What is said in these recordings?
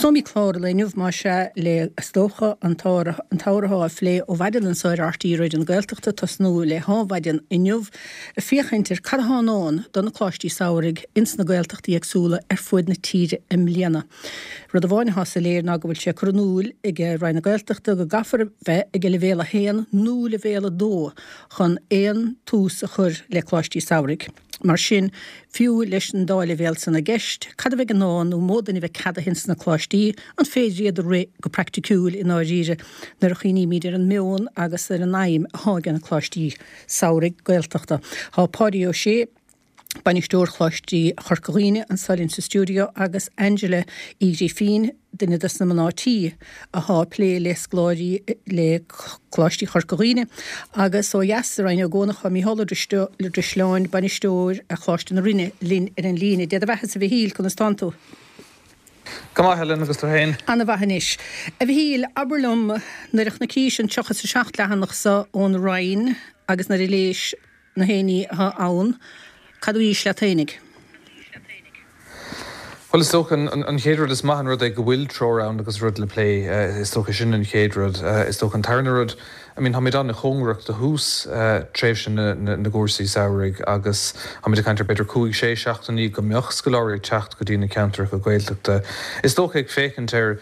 Tosóimid clár an lae inniu, más ea, le, is dócha, an t-ábhar atá á phlé ó mhaidin anso ar RTÉ Raidió na Gaeltachta, tosnú le hádhmhaidin inniu, ag féachaint ar cad atá i ndán do na Coláistí Samhraidh ins na Gaeltachtaí éagsúla ar fuaid na tíre i mbliana. Rud amháin atá soiléir ná go bhfuil sé curtha in iúl ag Roinn na Gaeltachta go gcaithfear a bheith ag leibhéal 1 nó leibhéal 2 chun aon tús a chur le Coláistí Samhraidh. Mar sin, fiú leis an dá leibhéal san i gceist, cad a bheidh i ndán nó an mó duine a bheidh ceadaithe ins na coláistí, an féidir iad a rith go praiticiúil i ndáiríre nuair a chuimhnímid ar an meon agus ar an aidhm atá ag na coláistí samhraidh Gaeltachta. Tá Páidí Ó Sé, Bainisteoir Choláiste Chorca Dhuibhne, anso linn sa stiúideo agus Angela Uí Ghrifín, duine dos na mná tí athá ag plé le scoláirí le Coláistí Chorca Dhuibhne, agus ó dheas i Rinn Ó gCuanach tá Mícheál Ó Drisleáin, Bainisteoir Choláiste na Rinne, linn ar an líne. Dé do bheathasa a Mhichíl, conas tánn tú? Go maith, Helen, agus tú féin? Ana mhaith anois. A Mhichíl, abair liom, nuair a chonacís an 37 leathanach so ón Roinn agus nuair a léis na haon ní atá ann, cad a bhís leat fhéinig? Bhuel, is dócha, an chéad rud, is maith an rud é go bhfuil treoir ann agus rud le plé. Is dócha sin an chéad rud. Is dócha an tarna rud, I mean, táimid an-chóngarach do thús tréimhse na gcúrsaí samhraidh agus táimid ag caint ar b'fhéidir cúig, sé seachtainí go mbeadh scoláirí ag teacht go dtí na ceantracha Gaeltachta. Is dócha ag féachaint ar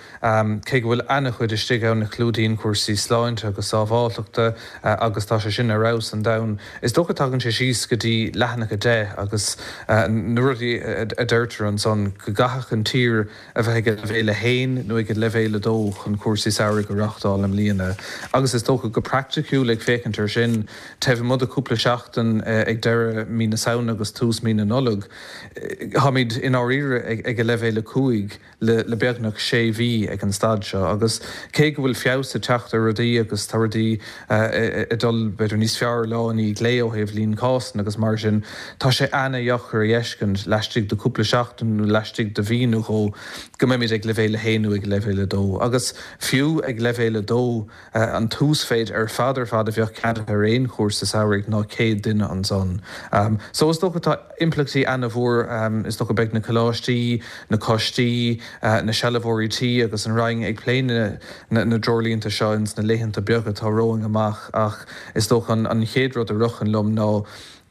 Cé go bhfuil ana-chuid istigh ann a chlúdaíonn cúrsaí sláinte agus sábháilteachta, agus tá sé sin ar fheabhas an domhan, is dócha tagann sé síos go dtí leathanach 10 agus na rudaí a deirtear ansan, go gcaithfeadh an tír a bheith ag leibhéal 1 nó ag leibhéal 2 chun cúrsaí samhraidh a reáchtáil i mbliana. Agus is dócha go praiticiúil ag féachaint air sin, taobh amuigh de chúpla seachtain ag deireadh mí na Samhna agus tús mí na Nollag, táimid i ndáiríre ag leibhéal 5. le beagnach sé mhí ag an staid seo agus cé go bhfuil feabhas ag teacht ar rudaí agus tá rudaí ag dul b'fhéidir níos fearr lá i ndiaidh lae ó thaobh líon cásanna agus mar sin, tá sé ana-dheacair a fheiscint laistigh de cúpla seachtain nó laistigh de mhí nó dhó go mbeimid ag leibhéal 1 nó ag leibhéal 2 agus fiú ag leibhéal 2 An t-uasmhéid ar fad ar fad a bheadh ceadaithe ar aon chúrsa samhraidh ná 100 duine ansan. So is dócha tá impleachtaí ana-mhór, is dócha beidh na coláistí, na coistí, na sealbhóirí tí agus an Roinn ag plé na dtreoirlínte seo ins na laethanta beaga atá romhainn amach ach is dócha an chéad rud a ritheann liom ná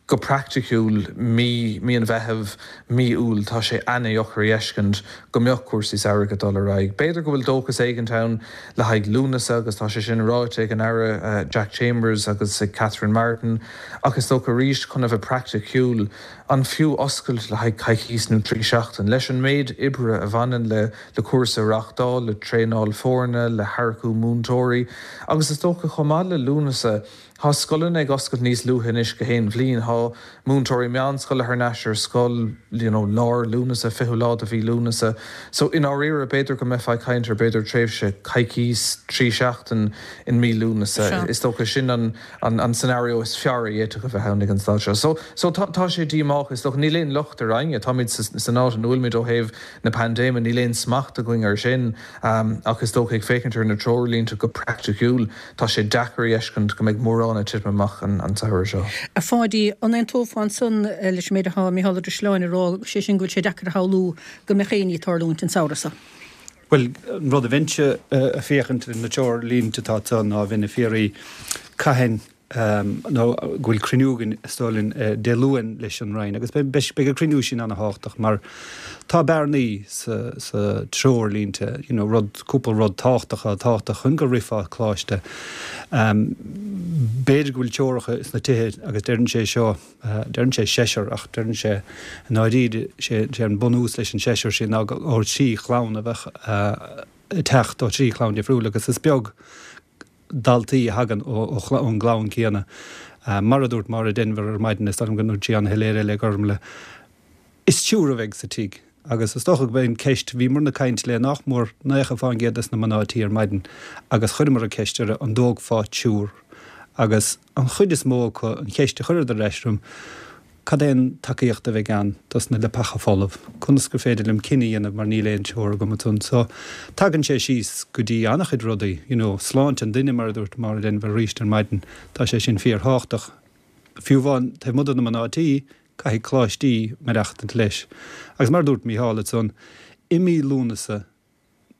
Go praiticiúil, mí mí an Mheithimh, mí Iúil, tá sé ana-dheacair a fheiscint go mbeadh cúrsaí samhraidh ag dul ar aghaidh. B'fhéidir go bhfuil dóchas éigint ann le haghaidh Lúnasa agus tá sé sin ráite ag an Aire Jack Chambers agus ag Catherine Martin ach is dócha arís chun a bheith praiticiúil, an fiú oscailt le haghaidh coicís nó 3 seachtain? Leis an méid oibre a bhaineann le le cúrsa a reáchtáil, le traenáil foirne, le hearcú múinteoirí agus is dócha chomh maith le Lúnasa, Tá scoileanna ag oscailt níos luaithe anois gach aon bhliain. Tá múinteoirí meánscoile thar n-ais ar scoil, you know, lár Lúnasa, 20ú lá de mhí Lúnasa. So, i ndáiríre, b'fhéidir go mbeifeá ag caint ar b'fhéidir tréimhse coicís, 3 seachtain in mí Lúnasa. Is dócha sin an, an, an scenario is fearr a d'fhéadfadh a bheith ann ag an staid seo. So, so tá, tá sé díomách, is dócha. Níl aon locht ar éinne. Táimid sa, san áit ina bhfuilimid ó thaobh na paindéime, níl aon smacht againn air sin. Ach is dócha, ag féachaint ar na treoirlínte go praiticiúil, Tá sé deacair a fheiscint go mbeidh mórán ag titim amach an samhradh seo. A Pháidí, an aontófá ansan leis an méid atá Micheál Ó Drisleáin a rá, sé sin go bhfuil sé deacair a shamhlú go mbeadh aon ní ag tarlúint an samhradh seo? Bhuel, an rud a bheinnse ag féachaint ar na treoirlínte atá anso ná bheinn ag fiafraí cathain nó go bhfuil cruinniú againn is dóigh linn Dé Luain leis an Roinn agus beidh an cruinniú sin ana-thábhachtach mar tá bearnaí sa sa treoirlínte, you know, rud, cúpla rud tábhachtach atá tábhachtach chun go rithfeá coláiste. B'fhéidir go bhfuil teoracha sna tithe agus deireann sé seo, deireann sé seisear ach deireann sé i ndáiríre, sé an bunús leis an seisear sin ná ó thrí chlann a bheadh ag teacht ó thrí chlann difriúil agus is beag daltaí a thagann ón gclann céanna. Mar a dúirt Máire Denvir ar maidin, is dóigh liom go ndúirt sí an-shoiléir é le Gormlaith, is triúr a bheidh sa tigh. Agus is dócha go mbeidh an ceist, bhíomar ag caint le nach mór 90 fán gcéad des na mná tí ar maidin agus chuireamar an ceist orthu an dtógfá triúr? Agus an chuid is mó acu, an cheist a chuireadar ar ais orm, Cad é an tacaíocht a bheidh ann dos na leapacha folamh? Conas gur féidir liom cinneadh a dhéanamh mar níl aon treoir agam ansan? So, tagann sé síos go dtí an-chuid rudaí, you know, sláinte an duine, mar a dúirt Máire Denvir arís ar maidin, tá sé sin fíorthábhachtach. Fiú amháin taobh amuigh de na mná tí, caithfidh coláistí maireachtaint leis. Agus mar a dúirt Mícheál ansan, i mí Lúnasa.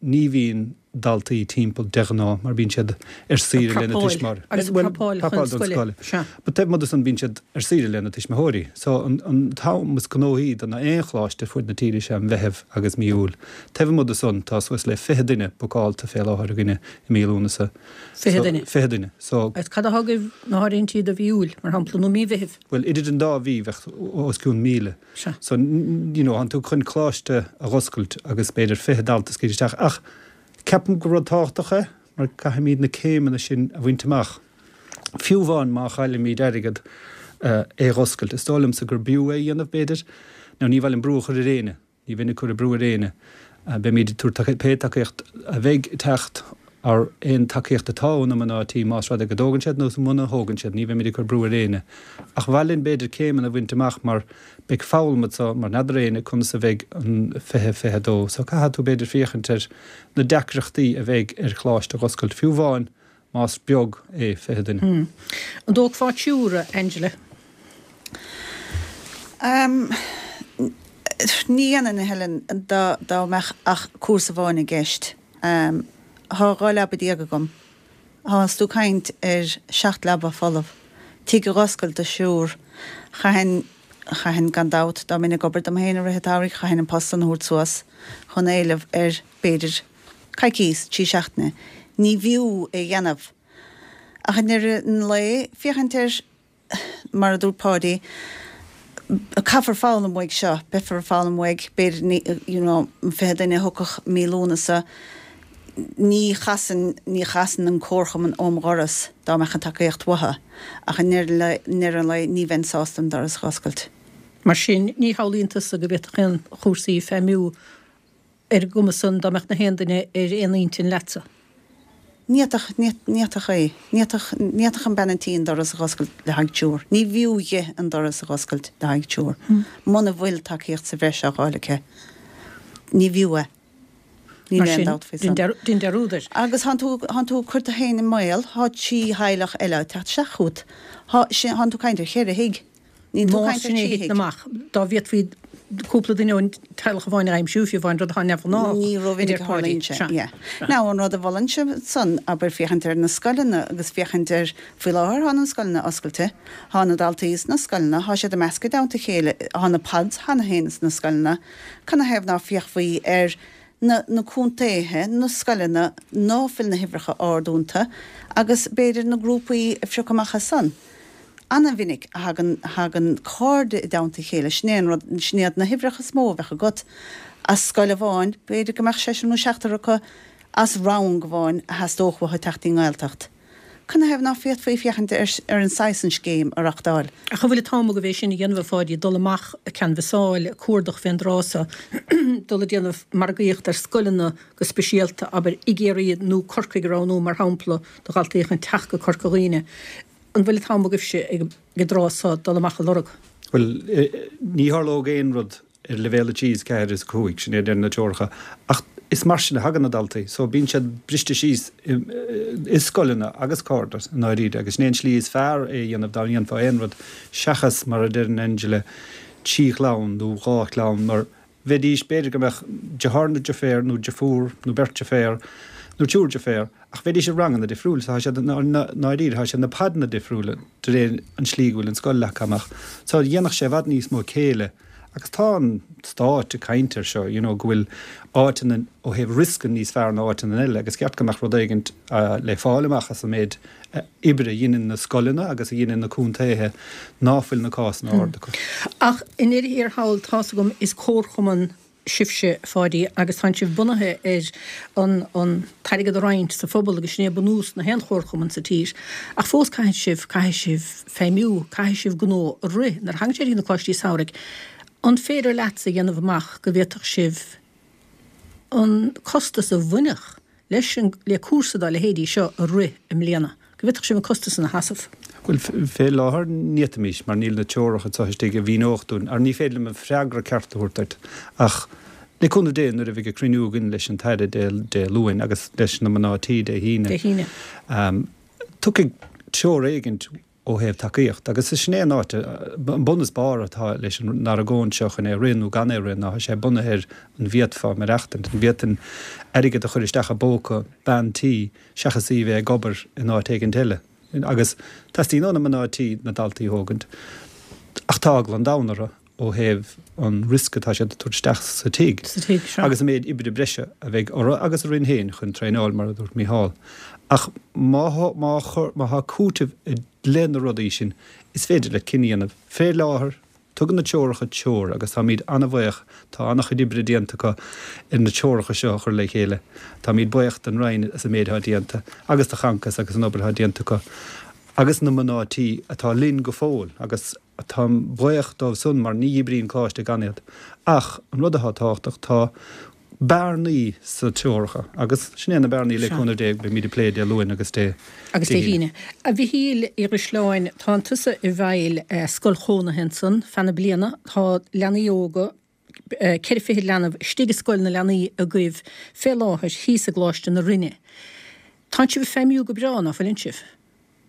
ní bhíonn daltaí timpeall de ghnáth mar bíonn siad ar saoire lena tuismitheoirí. Agus ag prapáil chun scoile. Sea. But taobh amuigh de san bíonn siad ar saoire lena tuismitheoirí. So an t-am is gnóthaí do na aon choláiste ar fuaid na tíre is ea Meitheamh agus mí Iúil. Taobh amuigh de san tá suas le 20 duine bookáilte fé láthair againne i mí Lúnasa. 20 duine? 20 duine. So. Agus cad atá agaibh na háirithintí do mhí Iúil, mar shampla, nó mí Mheithimh? Bhuel, idir an dá mhí bheadh os cionn 1,000. Sea. So, you know, tánn tú chun coláiste a dh'oscailt agus b'fhéidir 20 dalta a scaoileadh isteach ach ceapaim gur rud tábhachtach é mar caithfimid na céimeanna sin a bhaint amach. Fiú amháin má chaillimid airgead é a dh'oscailt, is dóigh liomsa gur b'fhiú é a dhéanamh b'fhéidir. Now ní mhaith liom brú a chur ar éinne. Ní bheinn ag cur brú ar éinne. Beimid ag tabhairt pé tacaíocht a bheidh ag teacht or aon tacaíocht atá ó na mná tí más rud é go dtógann siad nó muna thógann siad, ní bheimid ag cur brú ar éinne. Ach mhaith linn b'fhéidir céimeanna a bhaint amach mar beidh foghlaim anso mar n'fheadar éinne conas a bheidh an 2022. So caithfidh tú b'fhéidir féachaint ar na deacrachtaí a bheidh ar choláiste a dh'oscailt, fiú amháin más beag é 20 duine. An dtógfá triúr, a Angela? Ní dhéanfainn, a Helen, dá mbeadh ach cúrsa amháin i gceist. Thá 12 leaba agam. Thánns tú ag caint ar 7 leaba folamh. Tigh a dh'oscailt do thriúr. Chaithfinn, chaithfinn gan dabht, dá mbeinn ag obair dom féin i rith an tsamhraidh, chaithfinn an post san a thabhairt suas chun éileamh ar, b'fhéidir, coicíos, 3 seachtaine. Ní bhfiú é dhéanamh. Ach i ndeireadh an lae, féachaint ar, mar a dúirt Páidí, caithfear foghlaim uaidh seo, beifear ag foghlaim uaidh, b'fhéidir, you know, an 20 duine a thiocfadh mí Lúnasa, ní chasfainn, ní chasfainn an comharchumann óm dhoras dá mbeadh an tacaíocht uathu. Ach i ndeireadh an lae, ní bheinn sásta an doras a dh'oscailt. Mar sin, ní shamhlaíonn tusa go bhféadfadh aon chúrsaí feidhmiú ar an gcuma san dá mbeadh na haon duine ar aon intinn leatsa. Ní fhéadfadh, ní fhéadfadh é. Ní fhéadfadh, ní fhéadfadh an bean an tí an doras a dh'oscailt le haghaidh triúr. Ní bhfiú dhi an doras a dh'oscailt le haghaidh triúr. Muna bhfuil tacaíocht sa bhreis á dh'fháil aici, ní bhfiú é. Níl aon dabht faoi san. Dein dearúd air. Agus thánn tú, thánn tú ag cur tú féin i mbaol, thá 3 theaghlach eile ag teacht isteach chugat. Thá, sin, thánn tú ag caint ar cheithre thigh. Níl tú ag caint ar thrí thigh. amach, dá bhféadfaí cúpla duine ón teaghlach amháin a aimsiú, fiú amháin, rud atá neamhghnách, Ní rómhinic a tharlaíonn sé, yeah. Now, an rud a mholfainnse ansan, abair, féachaint ar na scoileanna agus féachaint ar, faoi láthair thá na scoileanna oscailte, thá na daltaí sna scoileanna, thá siad ag meascadh i dteannta a chéile, thá na pods cheana féin sna scoileanna, canathaobh ná féachfaí ar na na contaetha, na scoileanna ná fuil na huimhreacha ard iontu agus b'fhéidir na grúpaí a phiocadh amach as san. Ana-mhinic a thagann, thagann cairde i dteannta a chéile, sin é an rud, sin iad na huimhreacha is mó a bheadh agat. As scoil amháin, b'fhéidir go mbeadh seisear nó seachtar acu as rang amháin a theastódh uathu teacht dtí'n nGaeltacht. Canathaobh ná féadfaí féachaint ar ar an saghas san scéim a reachtáil? Ach an bhfuil an t-am agaibh é sin a dhéanamh, a Pháidí, dul amach ag canbhasáil, ag cuardach fén dtráth so, dul ag déanamh margaíocht ar scoileanna go speisialta, abair, i gCiarraí nó Corcaigh a roghnú mar shampla do dhaltaí chun teacht go Corca Dhuibhne. An bhfuil an t-am agaibhse ag an dtráth so dul amach a lorg? Bhuel, ní tharlódh aon rud ar leibhéal 3 is 4 is 5, sin é a deir na treoracha. Ach is mar sin a thagann na daltaí. So bíonn siad briste síos i scoileanna agus cairde i ndáiríre agus sin é an tslí is fearr é a dhéanamh dá ndéanfá aon rud seachas mar a deireann Angela trí chlann nó dhá chlann mar bheidís, b'fhéidir go mbeadh deartháir nó deirfiúr nó deirfiúr nó beirt deirféar nó triúr deirféar ach bheidís i ranganna difriúil so tá siad i ndáiríre tá siad na podanna difriúla de réir an slí go bhfuil an scoil leagtha amach. So dhéanfadh sé i bhfad níos mó céille agus tá an Stát ag caint ar seo you know go bhfuil áiteanna ó thaobh riosca níos fearr ná áiteanna eile agus ceart go mbeadh rud éigint le fáil amach as an méid oibre a dheineann na scoileanna agus a dheineann na contaetha ná fuil na cásanna ard acu. Ach i ndeireadh thiar thall, tá's agam, is comharchumann sibhse, a Pháidí, agus tánn sibh bunaithe ar an an t-airgead a roinnt sa phobal agus sin é bunús na haon chomharchumann sa tír. Ach fós caithfidh sibh, caithfidh sibh feidhmiú, caithfidh sibh gnó a rith. Nuair a thagann sé go dtí na coláistí samhraidh, an féidir leatsa a dhéanamh amach go bhféadfadh sibh an costas a bhainfeadh leis an, le cúrsa dá leithéidí seo a rith i mbliana, go bhféadfadh sibh an costas san a sheasamh? Bhuel, fé láthair ní fhéadfaimis, mar níl na treoracha anseo istigh a mhíneodh dúinn, ar ní féidir liom an freagra ceart a thabhairt duit, ach le cúnamh Dé nuair a bheidh an cruinniú againn leis an tAire Dé Luain agus leis na mná tí Dé hAoine, tiocfaidh treoir éigint. ó thaobh tacaíocht. Agus sin é an áit, an bun is barr atá leis an argóint seo chun é a rith nó gan é a rith ná tá sé bunaithe ar an bhféadfá maireachtaint, an bhféadfainn airgead a chur isteach i bpóca bean tí seachas í a bheith ag obair in áit éigint eile. Agus teastaíonn ó na mná tí na daltaí a thógaint ach tá eagla an domhain orthu ó thaobh an riosca atá siad ag tabhairt isteach sa tigh agus an méid oibre breise a bheidh orthu agus orainn féin chun traenáil, mar a dúirt Mícheál. Ach má má má thá cúiteamh i leith na rudaí sin, is féidir leat cinneadh a dhéanamh. Fé láthair, tugann na treoracha treoir agus táimid an-bhaoch, tá an-chuid oibre déanta acu ar na treoracha seo a chur le chéile. Táimid baoch don Roinn as an méid atá déanta agus do Choncas agus an obair atá déanta acu agus na mná tí atá linn go fóill agus Táim baoch dóibh san mar ní oibríonn coláiste gan iad. Ach an rud atá tábhachtach, tá bearnaí sna treoracha agus sin é na bearnaí le cúnamh Dé beimid ag plé Dé Luain agus Dé Agus Dé hAoine. A Mhichíl Uí Dhrisleáin, tánn tusa i bhfeighil scoil chónaithe ansan feadh na bliana. Tá leanaí óga, 24 leanbh istigh i scoil na leanaí agaibh fé láthair thíos i gColáiste na Rinne. Tánn sibh ag feidhmiú go breá, ná fuileann sibh?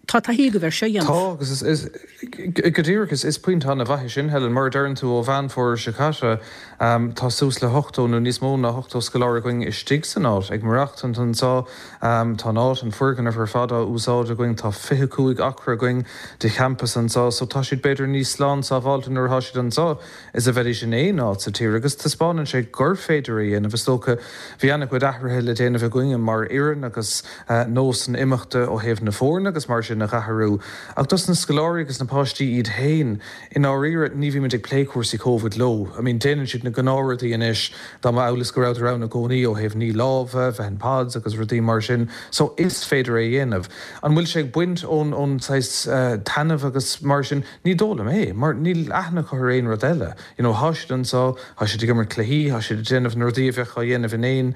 Tá taithí agaibh ar seo a dhéanamh. Tá, agus is, go díreach, is pointe an-mhaith é sin, Helen. Mar a deireann tú, ó Mheán Fómhair seo caite, tá suas le 80 nó níos mó ná 80 scoláire againn istigh san áit, ag maireachtaint anseo. Tá an áit, an foirgneamh ar fad á úsáid againn. Tá 25 acra againn de champas anseo, so tá siad b'fhéidir níos slán sábháilte nuair atá siad anseo is a bheidís in aon áit sa tír agus taispeánann sé gur féidir é a dhéanamh. Is dócha, bhí an-chuid athruithe le déanamh againne mar fhoireann agus nósanna imeachta ó thaobh na foirne agus mar sin a dh'athrú. Ach dos na scoláirí agus na páistí iad féin, i ndáiríre, ní bhímid ag plé cúrsaí Covid leo. I mean, déanann siad na gnáthrudaí anois dá mba amhail is go rabhadar ann i gcónaí ó thaobh ní lámha, bheith in pods agus rudaí mar sin. So, is féidir é a dhéanamh. An bhfuil sé ag baint ón, ón saghas taitneamh agus mar sin? Ní dóigh liom é, mar níl aithne acu ar aon rud eile. You know, thá siad anseo, thá siad ag imirt cluichí, thá siad ag déanamh na rudaí a bheadh á dhéanamh in aon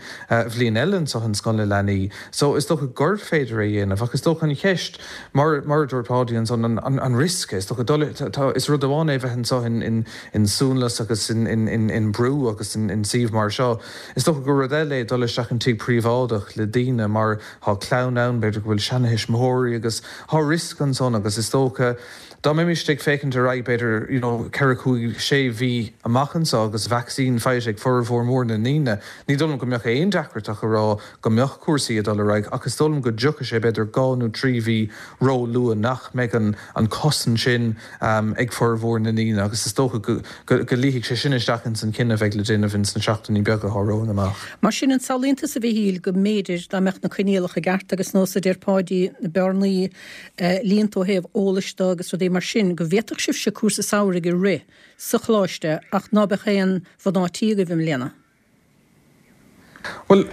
bhliain eile anseo in Scoil na Leanaí. So, is dócha gur féidir é a dhéanamh, ach is dócha an cheist, mar, mar a dúirt Páidí ansan, an, an, an riosca, is dócha dul, tá, is rud amháin é bheith anseo in, in, in suanlus agus in, in, in, in brú agus in, in suíomh mar seo. Is dócha gur rud eile é dul isteach in tigh príobháideach le daoine mar thá clann ann, b'fhéidir go bhfuil seana-thuismitheoirí agus thá riosca ansan agus is dócha, Dá mbeimis ag féachaint ar aghaidh b'fhéidir you know ceithre, cúig, sé mhí amach anseo agus vacsaín faighte ag formhór mór na ndaoine, ní dóigh liom go mbeadh aon deacracht ach a rá go mbeadh cúrsaí ag dul ar aghaidh ach is dóigh liom go dtiocfaidh sé b'fhéidir dhá nó trí mhí ró-luath nach mbeidh an an cosaint sin ag formhór na ndaoine agus is dócha go go go luífidh sé sin isteach ins an cinneadh a bheidh le déanamh ins na seachtainí beaga atá romhainn amach. Mar sin, an samhlaíonn tusa a Mhichíl go mb'fhéidir dá mbeadh na coinníollacha i gceart agus nós a deir Páidí na bearnaí líonta ó thaobh eolais de agus rudaí mar sin, go bhféadfadh sibhse cúrsa samhraidh a rith sa choláiste ach ná beadh aon mhná tí agaibh i mbliana. Bhuel,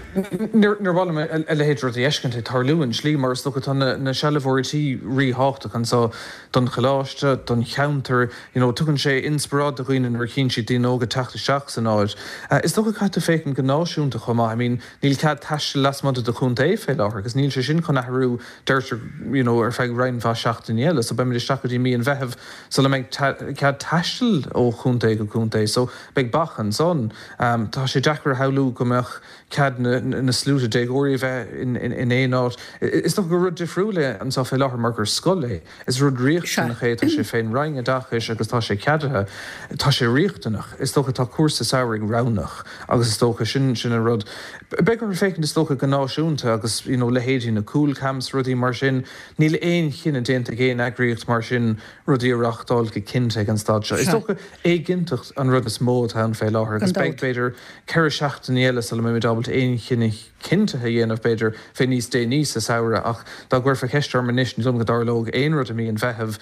níor mhaith liom a leithéid de rud a fheiscint ag tarlú i slí, mar is dócha tá na sealbhóirí tí ríthábhachtach anseo don choláiste, don cheantar, you know, tugann sé inspioráid do dhaoine nuair a chíonn siad daoine óga teacht isteach san áit. Is dócha caithfidh tú féachaint go náisiúnta chomh maith, I mean, níl cead taistil lasmuigh de do chontae fé láthair agus níl sé sin chun athrú deirtear, you know, ar feadh roinnt mhaith seachtainí eile. So beimid isteach go dtí mí an Mheithimh sula mbeidh cead taistil ó chontae go contae. So beidh bac ansan. Tá sé deacair a shamhlú go mbeadh cead na na sluaite déagóirí a bheith in in aon áit. Is dócha gur rud difriúil é anseo fé láthair mar gur scoil é. Is rud riachtanach é, tá sé fén Roinn Oideachais agus tá sé ceadaithe. Tá sé riachtanach. Is dócha tá cúrsa samhraidh roghnach agus is dócha sin sin an rud. Beidh orthu féachaint is dócha go náisiúnta agus you know leithéidí na Cúl Camps, rudaí mar sin. Níl aon chinneadh déanta ag aon eagraíocht mar sin rudaí a reáchtáil go cinnte ag an staid seo. Is dócha éiginnteacht an rud is mó atá ann fé láthair agus beidh b'fhéidir 4 seachtainí eile sula mbeimid ábalta aon chinneadh cinntithe a dhéanamh, b'fhéidir, fé níos déanaí sa samhradh ach dá gcuirfeá ceist orm anois, ní dóigh liom go dtarlódh aon rud i mí an Mheithimh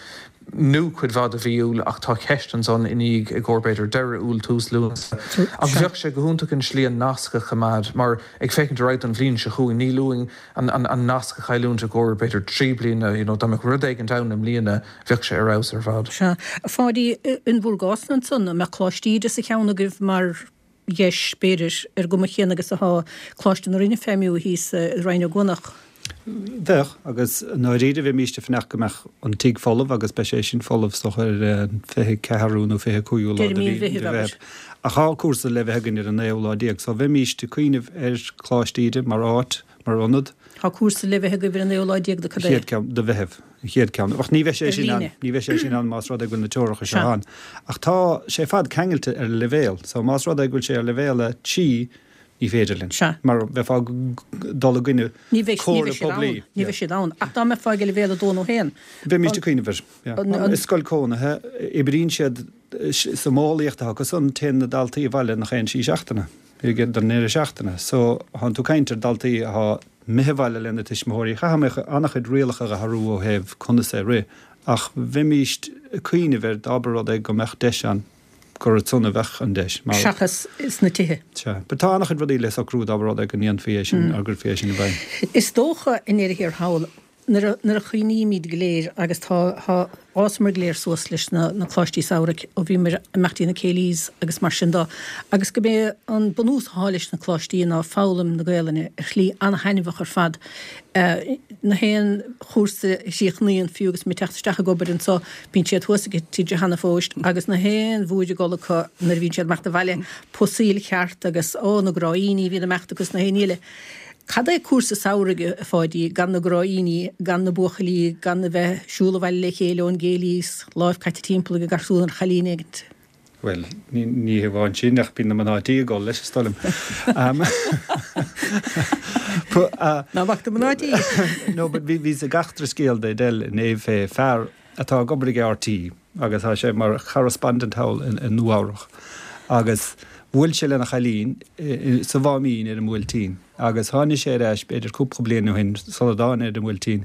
nó cuid mhaith de mhí Iúil ach tá ceist ansan i ndiaidh i gcomhair b'fhéidir deireadh Iúil, tús Lúnasa. Ach bheadh sé go hiontach an slí an nasc a choimeád mar ag féachaint ar aghaidh don bhliain seo chugainn níl uainn an an nasc a chailliúint i gcomhair b'fhéidir 3 bliana, you know dá mbeadh rud éigint ann i mbliana bheadh sé ar fheabhas ar fad. Sea. A Pháidí, in bhur gcás-na ansan, an mbeadh Coláiste Íde sa cheann agaibh mar dheis, b'fhéidir, ar an gcuma chéanna agus atá Coláiste na Rinne ag feidhmiú thíos i Rinn Ó gCuanach. Bheadh, agus i ndáiríre bheimíst ag fanacht go mbeadh an tigh folamh agus beidh sé sin folamh is dócha ar an 24ú nó 25ú lá de mhí Mheithimh. Ach tá cúrsa le bheith againn ar an naoú lá déag so bheimíst ag cuimhneamh ar Choláiste Íde mar áit, mar ionad. Tá cúrsa le bheith agaibh ar an naoú lá déag de cad é? Chéad ceann de Mheitheamh. An chéad ceann. Ach ní bheidh sé sin ann, ní bheidh sé sin ann más rud é go bhfuil na teoracha seo ann. Ach tá sé ar fad ceangailte ar leibhéal. So más rud é go bhfuil sé ar leibhéal 3, ní féidir linn. Mar bheifeá ag dul i gcoinne comhairle poiblí. Ní bheidh siad ann. Ach dá mbeifeá ag leibhéal 2 nó 1. Bheimís ag cuimhneamh air. Is scoil cónaithe, oibríonn siad sa mhodheolaíocht atá acu san, téann na daltaí abhaile nach aon sí seachtaine, don ndeireadh seachtaine. So, thánn tú ag caint ar daltaí atá imithe abhaile lena tuismitheoirí. Chaithfeadh mé an-chuid rialacha a athrú ó thaobh conas é a rith, ach bheimíst ag cuimhneamh air dá mba rud é go mbeadh deis ann, gur ansan a bheadh an deis. Mar. Seachas sna tithe. Sea. But tá an-chuid rudaí le socrú dá mba rud é go ndéanfaí é sin, go gcuirfí é sin i bhfeidhm. Is dócha i ndeireadh thiar thall, Nuair a chuimhnímid go léir, agus tá, tá, d'fhásamar go léir suas leis na, na coláistí samhraidh ó bhíomar ag imeacht dtí na céilís agus mar sin do, agus go b'é an bunús athá leis na coláistí ná foghlaim na Gaelainne ar shlí an-thaitneamhach ar fad. Na haon chúrsa a chríochnaíonn, fiú agus muid ag teacht isteach ag obair anso, bíonn siad thuas ag TG Hanna fós agus na haon bhuaidh ag dul acu nuair a bhíonn siad ag imeacht abhaile, pusaíl cheart agus, ó, na gráíní a bhíonn ag imeacht agus na haon ní eile. Cad é cúrsa samhraidh, a Pháidí, gan na gráíní, gan na buachaillí, gan a bheith ag siúl abhaile le chéile ón gcéilí 's láimh caite timpeall ag an garsún ar chailín éigint? Bhuel, ní hamháin sin, ach bíonn na mná tí ag gol leis, is dóigh liom. Ná bac do mná tí! No, but bhí, bhíos ag eachtra scéal de Edel inné fé fear atá ag obair ag RTÉ agus tá sé mar correspondent thall i Nua Eabhrach agus bhuail sé lena chailín sa Mháimín ar an mBuailtín agus tháinig sé ar ais b'fhéidir cúpla bliain ó shin sula dtáinig ar an mBuailtín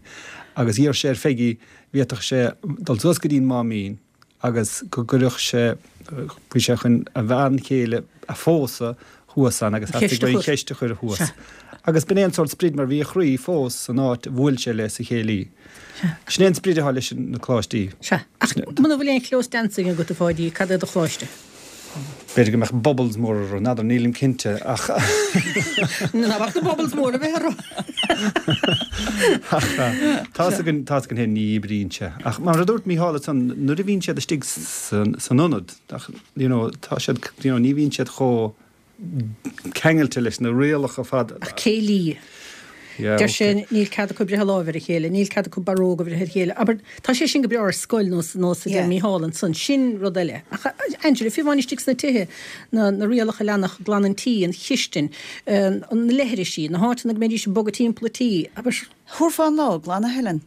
agus d'iarr sé ar Pheigí bhféadfadh sé dul suas go dtí an Máimín agus go gcuirfeadh sé, bhí sé chun a bhean chéile a phósadh thuas ann agus theastaigh uaidh an cheist a chur thuas. Agus b'in é an sórt sprid mar bhí a chroí fós san áit a bhuail sé léi sa chéilí. Sin é an sprid atá leis na coláistí. Sea. Ach muna bhfuil aon chlós dancing agat, a Pháidí, cad é do choláiste? B'fhéidir go mbeadh bubbles mór orthu, n'fheadar, nílim cinnte, ach. Ná bac na bubbles mór a bheith orthu! Ach tá's againn, tá's againn féin, ní oibríonn sé. Ach mar a dúirt Mícheál ansan, nuair a bhíonn siad istigh san ionad, you know, tá siad, you know, ní bhíonn siad chomh ceangailte leis na rialacha fad. Ach céilí. Deir sé níl cead acu breith a láimh ar a chéile, níl cead acu barróg a bhreith ar a chéile. Abair, tá sé sin go breá ar scoil nós nós a deir Mícheál ansan, sin rud eile. Ach Angela, fiú amháin istigh sna tithe, na na rialacha leanach, glan an tí, an chistin, na leithrisí, na háiteanna go mbeidís ag bogadh timpeall an tí, abair. Thabharfá an lá ag glanadh, Helen.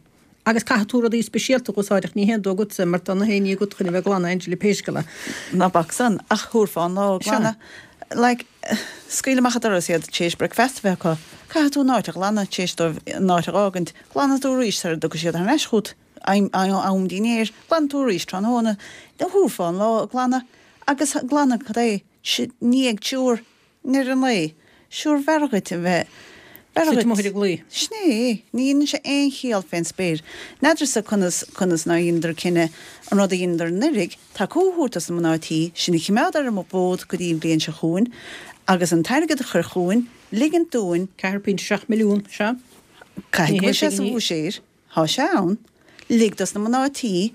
Agus caithfidh tú rudaí speisialta a úsáid ach ní haon dóigh agatsa mar tá na haon ní agat chun a bheith ag glanadh, Angela, pé scéal é. Ná bac san, ach thabharfá an lá ag glanadh. Like, scaoil amach an doras iad tar éis bricfeasta a bheith acu. Caithfidh tú an áit a ghlanadh tar éis dóibh an áit a dh'fhágaint. Glanfaidh tú arís sara dtiocfaidh siad thar n-ais chugat am dinnéir. Glanfaidh tú arís tráthnóna. Thabharfá an lá ag glanadh. Agus glanadh cad é? I ndiaidh triúr. I ndeireadh an lae, sure b'fhearr dhuit a bheith, b'fhearr dhuit. Suite amuigh ar an gclaí. Sin é. Ní dhéanann sé aon chiall fén spéir. N'fheadarsa conas, conas nár dheineadar cinneadh an rud a dheineadar anuiridh, tacú a thabhairt dos na mná tí, sinn a chimeád ar an bhfód go dtí an bhliain seo chugainn, agus an t-airgead a chur chugainn, ligint dúinn, 4.7 milliún, sea. Caithfidh go bhfuil sé sa bhuiséad, thá sé ann, lig dos na mná tí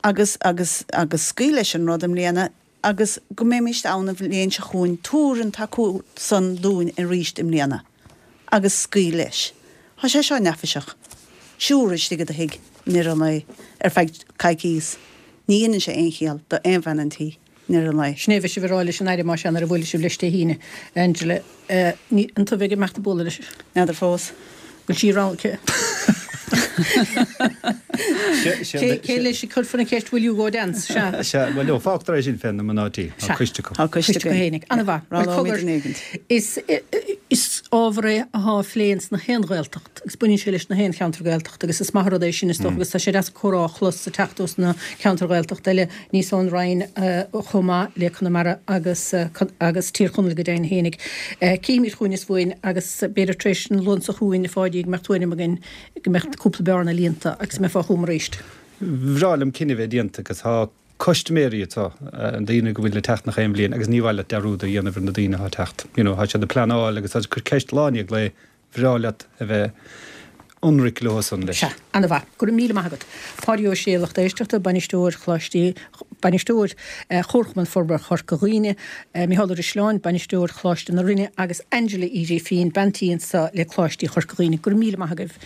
agus, agus, agus scaoil leis an rud i mbliana, agus go mbeimíst ann an bhliain seo chugainn, tabhair an tacú san dúinn aríst i mbliana, agus scaoil leis. Thá sé seo neafaiseach. Triúr istigh i do thigh, i ndeireadh an lae, ar feadh coicíos. Ní dheineann sé aon chiall do aon bhean an tí, i ndeireadh an lae. Sin é a bheidh sibh ag rá leis an Aire, más ea, nuair a bhuailfidh sibh leis Dé hAoine, Angela. Ní, an tú a bheidh ag imeacht ag bualadh leis? N'fheadar fós. Bhfuil sí rogha Cé cé leis a cuirfear an cheist will you go dance? Sea. Sea, bhuel no, fágtar é sin fé na mná tí. Tá coiste acu. Tá coiste acu fhéinig. Ana-mhaith. Bhuel cogar, is is ábhar é athá á phlé ins na haon Ghaeltacht agus baineann sé leis na haon cheantar Gaeltachta agus is maith an rud é sin is dócha agus tá sé deas comhrá a chlos ag teacht ós na ceantair Ghaeltachta eile níos ón Rinn chomh maith le Conamara agus agus Tír Chonaill go deimhin fhéinig. Cífimid chugainn is uainn agus b'fhéidir tar éis an Luan seo chugainn a Pháidí go mbeadh tuairim againn go mbeadh cúpla bearna líonta agus go mbeifeá chugam arís. Bhreá liom cinneadh a bheith déanta agus tá custaiméirí anseo, an daoine go bhfuil ag teacht nach aon bhliain agus ní mhaith leat dearúd a dhéanamh ar na daoine atá ag teacht. You know, tá siad ag pleanáil agus tá siad ag cur ceist lá i ndiaidh lae Bhreá leat a bheith ionraic leo san leis. Sea, ana-mhaith. Go raibh míle maith agat. Páidí Ó Sé, lucht éisteachta, Bainisteoir Choláistí, Bainisteoir Chomharchumann Forbartha Chorca Dhuibhne, Mícheál Ó Drisleáin, Bainisteoir Choláiste na Rinne agus Angela Uí Ghrifín, bean tí anso le Coláistí Chorca Dhuibhne. Go raibh míle maith agaibh.